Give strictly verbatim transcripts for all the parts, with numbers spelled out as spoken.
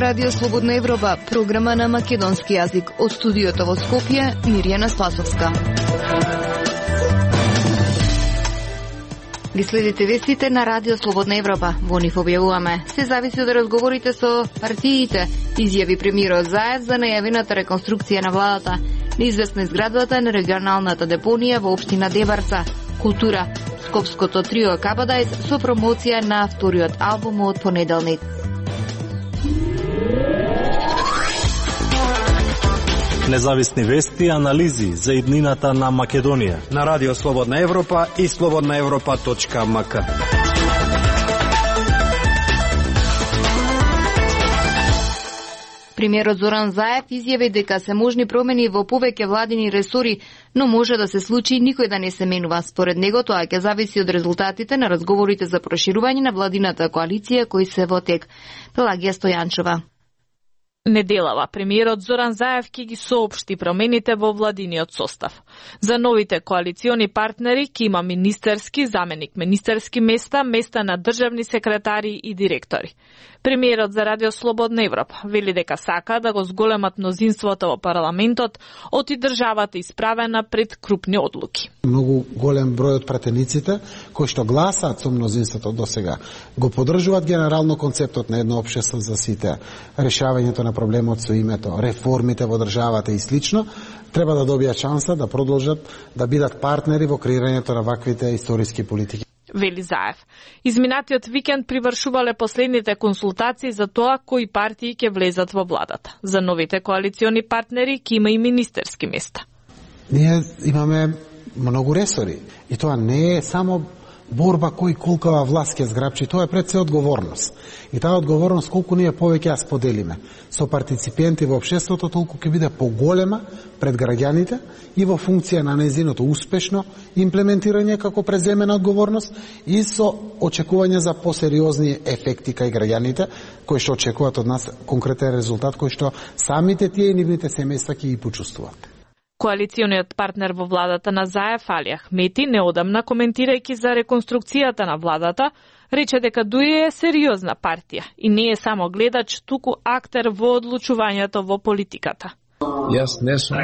Радио Слободна Европа, програма на македонски јазик. Од студиото во Скопје, Мирјана Спасовска. Ги следите вестите на Радио Слободна Европа. Во нив објавуваме: се зависи од разговорите со партиите, изјави премиерот Заев за најавената реконструкција на владата, неизвестна изградбата на регионалната депонија во општина Дебарца, култура, скопското трио Кабадајс со промоција на вториот албум од понеделник. Независни вести и анализи за иднината на Македонија на Радио Слободна Европа и слободна европа точка ем ка. Премиерот Зоран Заев изјави дека се можни промени во повеќе владини ресори, но може да се случи никој да не се менува. Според него тоа ќе зависи од резултатите на разговорите за проширување на владината коалиција кои се во тек. Пелагија Стојанчова. Неделава премиерот Зоран Заев ќе ги соопшти промените во владиниот состав. За новите коалициони партнери ќе има министерски, заменик министерски места, места на државни секретари и директори. Премиерот за Радио Слободна Европа вели дека сака да го зголемат мнозинството во парламентот, оти државата исправена пред крупни одлуки. Многу голем број од пратениците кои што гласаат со мнозинството досега го поддржуваат генерално концептот на едно општество за сите, решавањето на проблемот со името, реформите во државата и слично, треба да добијат шанса да продолжат да бидат партнери во креирањето на ваквите историски политики. Вели Заев. Изминатиот викенд привршувале последните консултации за тоа кои партии ќе влезат во владата. За новите коалициони партнери ќе има и министерски места. Ние имаме многу ресори и тоа не е само борба кој колкава власт ќе зграбчи, тоа е пред се одговорност. И таа одговорност колку ние повеќе ја споделиме со партиципенти во општеството, толку ќе биде поголема пред граѓаните и во функција на нејзиното успешно имплементирање како преземена одговорност и со очекување за посериозни ефекти кај граѓаните кои што очекуваат од нас конкретен резултат кој што самите тие и нивните семејства ќе ги почувствуваат. Коалициониот партнер во владата на Заев, Али Ахмети, неодамна коментирајќи за реконструкцијата на владата, рече дека ДУИ е сериозна партија и не е само гледач, туку актер во одлучувањето во политиката. Јас не сум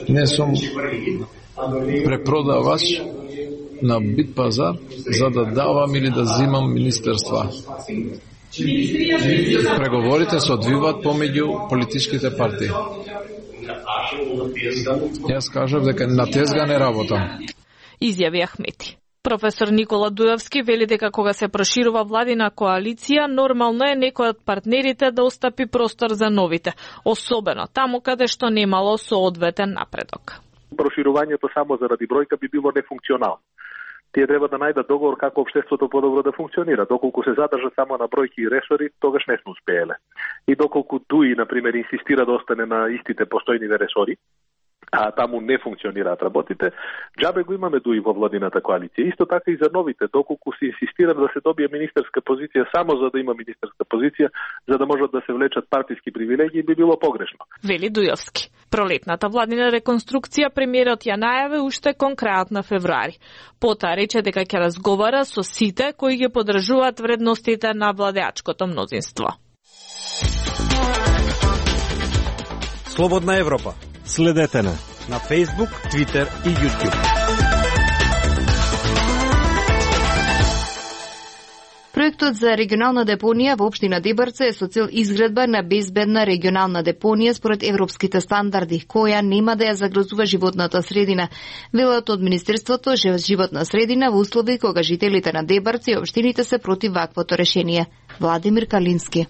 не сум препродавач на бит пазар за да давам или да зимам министерства. Преговорите се одвиваат помеѓу политичките партии. Јас кажав дека на тезга не работам. Изјави Ахмети. Професор Никола Дујовски вели дека кога се проширува владина коалиција, нормално е некој од партнерите да остапи простор за новите, особено таму каде што немало соодветен напредок. Проширувањето само заради бројка би било нефункционално. Тие треба да најдат договор како општеството подобро да функционира. Доколку се задржат само на бројки и ресори, тогаш не сме успееле. И доколку ДУИ, например, инсистира да остане на истите постојниве ресори, а таму не функционираат работите, џабе го имаме ДУИ во владината коалиција. Исто така и за новите, доколку се инсистира да се добие министерска позиција само за да има министерска позиција, за да можат да се влечат партиски привилегии, би било погрешно. Вели Дујовски. Пролетната владина реконструкција премиерот ја најави уште кон крајот на февруари. Потоа рече дека ќе разговара со сите кои ги поддржуваат вредностите на владеачкото мнозинство. Слободна Европа. Следете на на Facebook, Twitter и YouTube. Проектот за регионална депонија во општина Дебарца е со цел изградба на безбедна регионална депонија според европските стандарди, која нема да ја загрозува животната средина. Велат од Министерството за животна средина во услови кога жителите на Дебарца и општините се против ваквото решение. Владимир Калински.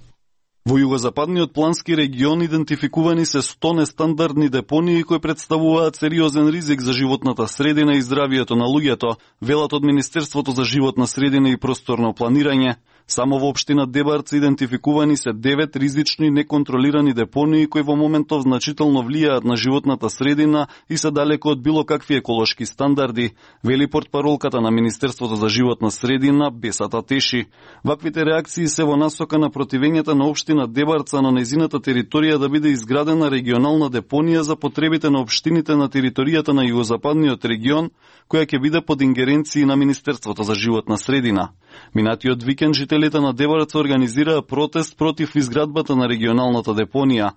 Во југозападниот плански регион идентификувани се сто нестандардни депонии кои представуваат сериозен ризик за животната средина и здравието на луѓето, велат од Министерството за животна средина и просторно планирање. Само во општина Дебарца идентификувани се девет ризични неконтролирани депонии кои во моментов значително влијаат на животната средина и се далеко од било какви еколошки стандарди, вели портпаролката на Министерството за животна средина Бесата Теши. Ваквите реакции се во насока на противењето на општина општина Дебарца на нејзината територија да биде изградена регионална депонија за потребите на општините на територијата на југозападниот регион, која ќе биде под ингеренции на Министерството за животна средина. Минатиот викенд жителите на Дебарца организираа протест против изградбата на регионалната депонија.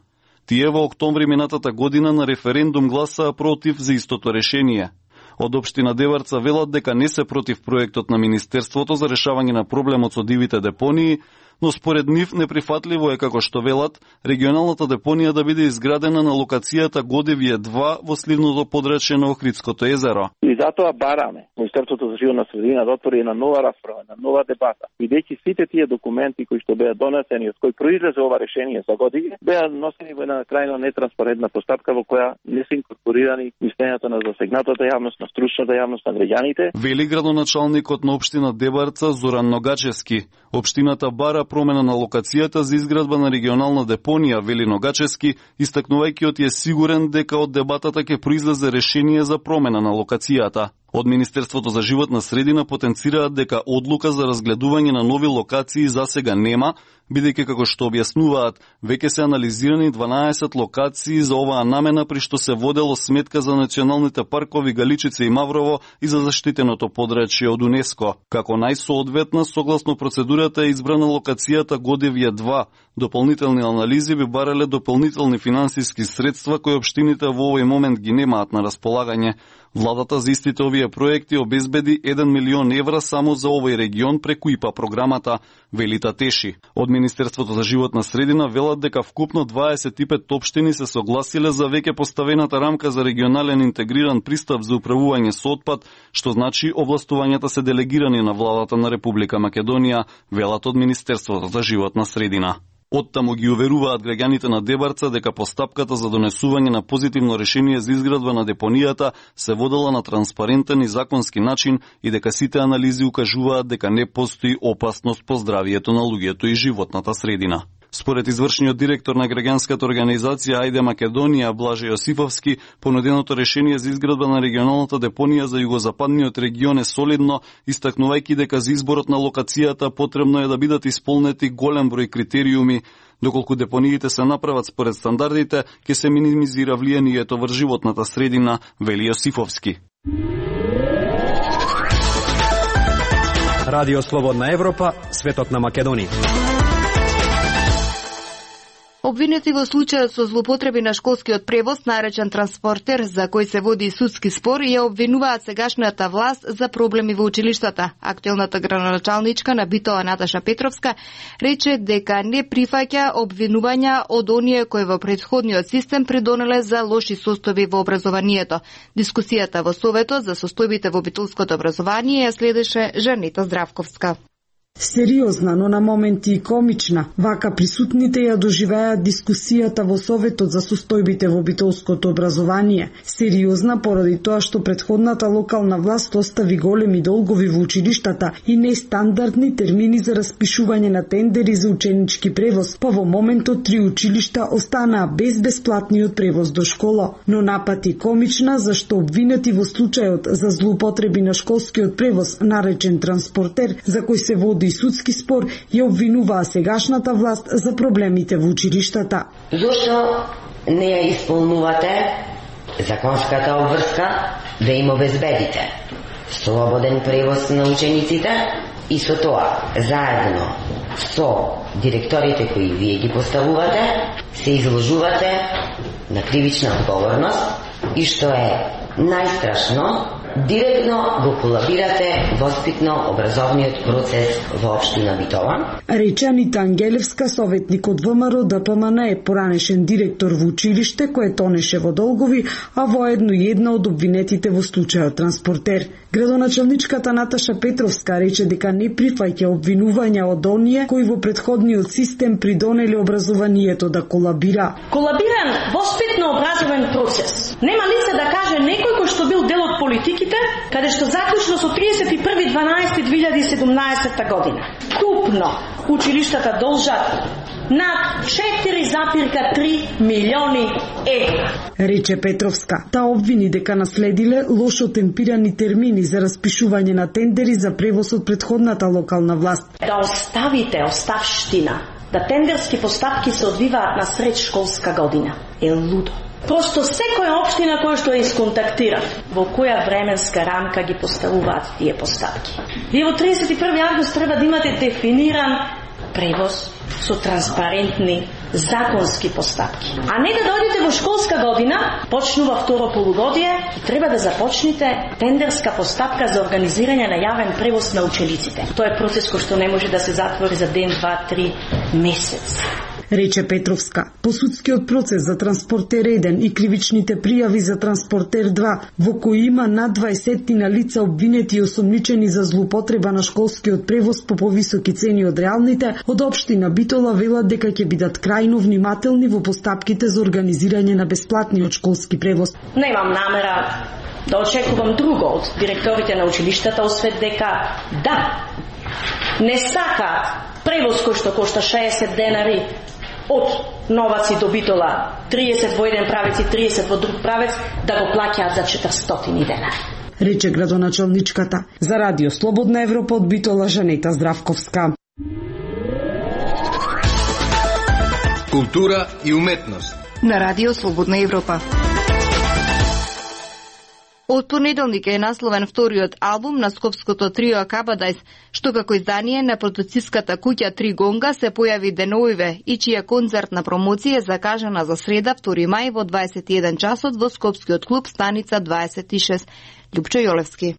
Тие во октомври минатата година на референдум гласаа против за истото решение. Од општина Дебарца велат дека не се против проектот на Министерството за решавање на проблемот со дивите депонии, но според нив неприфатливо е, како што велат, регионалната депонија да биде изградена на локацијата Годевје два во сливното подрачје на Охридското езеро. И затоа бараме Министерството за животна средина да отвори една нова расправа, една нова дебата. Бидејќи сите тие документи кои што беа донесени, од кои произлезе ова решение за години, беа носени во една крајно нетранспарентна постапка во која не се инкорпорирани мислењата на засегнатата јавност, на стручната јавност, на граѓаните. Вели градоначалникот на општина Дебарца Зоран Ногачевски. Општината бара промена на локацијата за изградба на регионална депонија, вели Ногачевски, истакнувајќи од е сигурен дека од дебатата ќе произлезе решение за промена на локацијата. Од Министерството за животна средина потенцираат дека одлука за разгледување на нови локации засега нема, бидејќи како што објаснуваат, веќе се анализирани дванаесет локации за оваа намена, при што се водело сметка за националните паркови Галичица и Маврово и за заштитеното подрачје од УНЕСКО. Како најсоодветна, согласно процедурата е избрана локацијата Годевје два. Дополнителни анализи би барале дополнителни финансиски средства кои општините во овој момент ги немаат на располагање. Владата за истите овие проекти обезбеди еден милион евра само за овој регион преку ИПА програмата, вели Татеши. Од Министерството за животна средина велат дека вкупно дваесет и пет општини се согласиле за веќе поставената рамка за регионален интегриран пристап за управување со отпад, што значи овластувањата се делегирани на владата на Република Македонија, велат од Министерството за животна средина. Оттаму ги уверуваат граѓаните на Дебарца дека постапката за донесување на позитивно решение за изградба на депонијата се водела на транспарентен и законски начин и дека сите анализи укажуваат дека не постои опасност по здравието на луѓето и животната средина. Според извршниот директор на граѓанската организација Ајде Македонија Блаже Јосифовски, понуденото решение за изградба на регионалната депонија за југозападниот регион е солидно, истакнувајќи дека за изборот на локацијата потребно е да бидат исполнети голем број критериуми. Доколку депониите се направат според стандардите, ќе се минимизира влијанието врз животната средина, вели Јосифовски. Радио Слободна Европа, светот на Македонија. Обвинети во случајот со злоупотреби на школскиот превоз, наречен транспортер, за кој се води судски спор, ја обвинуваат сегашната власт за проблеми во училиштата. Актуелната градоначалничка на Битола Наташа Петровска рече дека не прифаќа обвинувања од оние кои во претходниот систем придонеле за лоши состојби во образованието. Дискусијата во Советот за состојбите во битолското образование ја следеше Жанета Здравковска. Сериозна, но на моменти и комична, вака присутните ја доживеаат дискусијата во Советот за состојбите во битолското образование. Сериозна поради тоа што претходната локална власт остави големи долгови во училиштата и нестандардни термини за распишување на тендери за ученички превоз, па во моментот три училишта останаа без бесплатниот превоз до школа. Но напати комична, зашто обвинети во случајот за злоупотреби на школскиот превоз, наречен транспортер, за кој се води и судски спор, ја обвинуваа сегашната власт за проблемите во училиштата. Зошто не ја исполнувате законската обврска да им обезбедите слободен превоз на учениците и со тоа, заедно со директорите кои вие ги поставувате, се изложувате на кривична одговорност и што е најстрашно, директно го колабирате воспитно-образовниот процес во општина Битола. Рече Анита Ангелевска, советник од ВМРО Д П М Н, е поранешен директор во училиште кое тонеше во долгови, а воедно и една од обвинетите во случајот транспортер. Градоначалничката Наташа Петровска рече дека не прифаќа обвинувања од оние кои во претходниот систем придонеле образованието да колабира. Колабиран воспитно-образовен процес. Нема лице да каже некој кој што бил дел од политиките, каде што заклучно со тридесет и први дванаесети две илјади и седумнаесетта година. Купно училиштата должат над четири запирка три милиони евра. Рече Петровска. Та обвини дека наследиле лошо темпирани термини за распишување на тендери за превоз од претходната локална власт. Да оставите оставштина да тендерски постапки се одвиваат на сред школска година. Е лудо. Просто секоја општина која што ја исконтактира, во која временска рамка ги поставуваат тие постапки. Вие во тридесет и први август треба да имате дефиниран превоз со транспарентни законски постапки. А не да дојдете во школска година, почнува второ полугодие и треба да започнете тендерска постапка за организирање на јавен превоз на учениците. Тоа е процес кој што не може да се затвори за ден, два, три, месец. Рече Петровска. По судскиот процес за Транспортер еден и кривичните пријави за Транспортер два, во кои има над дваесет на лица обвинети и осомничени за злоупотреба на школскиот превоз по повисоки цени од реалните, од општина Битола велат дека ќе бидат крајно внимателни во постапките за организирање на бесплатниот школски превоз. Немам намера да очекувам друго од директорите на училиштата, освет дека да, не сакаат превоз кој што кошта шеесет денари од Новаци до Битола, триесет во еден правец и триесет во друг правец, да го плаќаат за четиристотини денари. Рече градоначалничката. За Радио Слободна Европа од Битола Жанета Здравковска. Култура и уметност. На Радио Слободна Европа. Од понеделник е насловен вториот албум на скопското трио Кабадайс, што како издание на продуциската куќа Три Гонга се појави деновиве и чија концертна промоција е закажана за среда втори мај во дваесет и еден часот во скопскиот клуб Станица дваесет и шест. Љупчо Јолевски.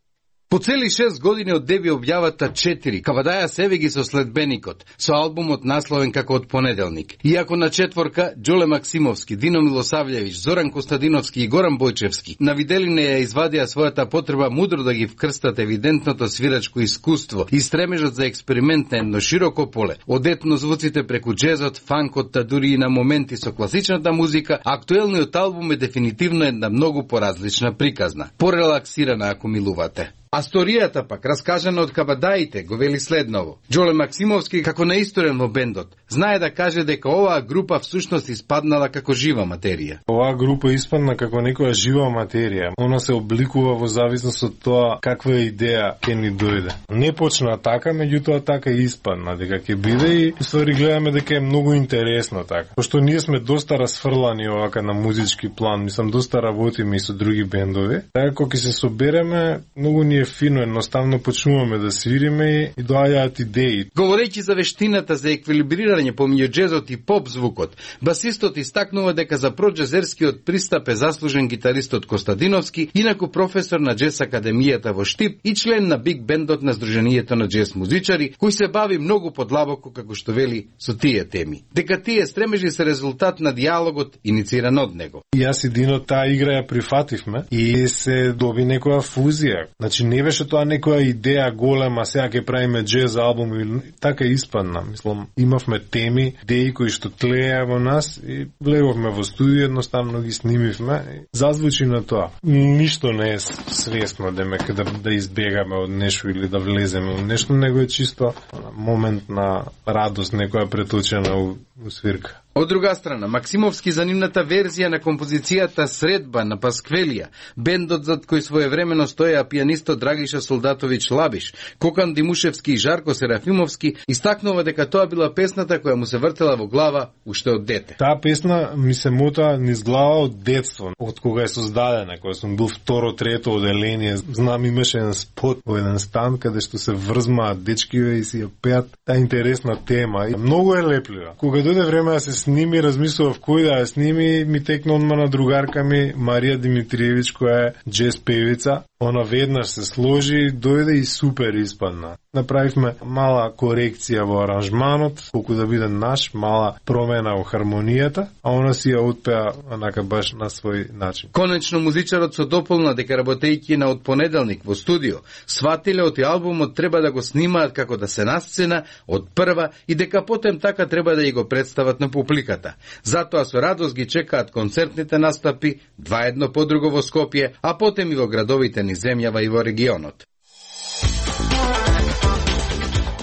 По цели шест години од деби објавата четири, Кабадаја себе ги со следбеникот, со албумот насловен како од понеделник. Иако на четворка, Ѓоле Максимовски, Дино Милосављевиќ, Зоран Костадиновски и Горан Бојчевски на виделине ја извадија својата потреба мудро да ги вкрстат евидентното свирачко искуство и стремежот за експеримент на едно широко поле, од етнозвуците преку джезот, фанкот, та дури и на моменти со класичната музика, актуелниот албум е дефинитивно една многу поразлична приказна, порелаксирана ако милувате. А сторијата пак, раскажана од Кабадаите, го вели следново. Ѓоле Максимовски, како наисторен во бендот, знае да каже дека оваа група всушност испаднала како жива материја. Оваа група испадна како некоја жива материја. Она се обликува во зависност од тоа каква идеја ќе ни дојде. Не почна така, меѓутоа така и испадна, дека ќе биде и ствари гледаме дека е многу интересно така. Пошто ние сме доста расфрлани овака на музички план, мислам доста работиме и со други бендови. Така кога ќе се собереме, многу ни е фино, едноставно почнуваме да свириме и доаѓаат идеи. Говорејќи за вештината за еквилибрирање помеѓу джезот и поп звукот, басистот истакнува дека за проџезерскиот пристап е заслужен гитаристот Костадиновски, инаку професор на джез академијата во Штип и член на биг бендот на Сдруженијето на джез музичари, кој се бави многу подлабоко, како што вели, со тие теми. Дека тие стремежи се резултат на диалогот инициран од него. Јас и Дино таа игра ја прифативме и се доби некоја фузија. Значи не беше тоа некоја идеја голема, сега ќе правиме джез албум или така испадна. Мислам, имавме теми, идеи кои што тлеја во нас и влеговме во студио, едноставно ги снимивме и зазвучи на тоа. Ништо не е свесно демек да, да избегаме од нешто или да влеземе во нешто, него е чисто момент на радост, некоја преточена у, у свирка. Од друга страна, Максимовски за нивната верзија на композицијата Средба на Пасквелија, бендот зад кој своевремено стоја пијанистот Драгиша Солдатовиќ Лабиш, Кокан Димушевски и Жарко Серафимовски, истакнува дека тоа била песната која му се вртела во глава уште од дете. Таа песна ми се мота низ глава од детство, од кога е создадена, кога сум бил второ, трето оделение. Знам, имаше еден спот во еден стан каде што се врзмаат дечкиве и си ја пеат. Таа интересна тема и многу е леплива. Кога дојде време да се сними, размислував кој да ја сними, ми текна одма на другарка ми Марија Димитриевиќ, која е джез певица. Она веднаш се сложи, дојде и супер испадна. Направивме мала корекција во аранжманот, колку да биде наш, мала промена во хармонијата, а она си ја отпеа онака баш на свој начин. Конечно музичарот се дополна дека работејќи на од понеделник во студио, сватиле од албумот треба да го снимаат како да се на сцена од прва и дека потем така треба да ја го представат на публиката. Затоа со радост ги чекаат концертните настапи, два едно по друго во Скопје, а потем и во градовите ни земјава и во регионот.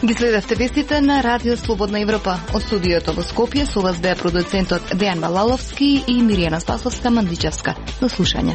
Ги следевте вестите на Радио Слободна Европа. Од студиото во Скопје со вас беа продуцентот Дејан Балаловски и Миријана Спасовска Мандичевска. До слушање.